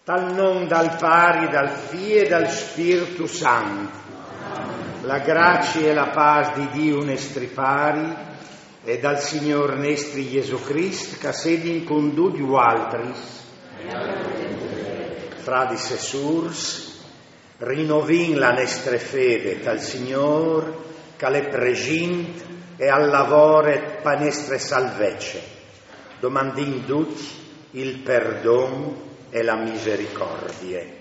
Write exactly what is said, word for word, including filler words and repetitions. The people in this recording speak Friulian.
Tal non dal Pari, dal Fî e dal Spirtu Sant. La gracie e la pâs di Diu nestri Pari e dal Signôr nestri Jesù Crist, che a sedin cun ducj vualtris. Fradis e sûrs, rinovìn la nestre fede tal Signôr, che al è presint e al lavore pe nestre salvece. Domandìn ducj il perdon e la misericordie.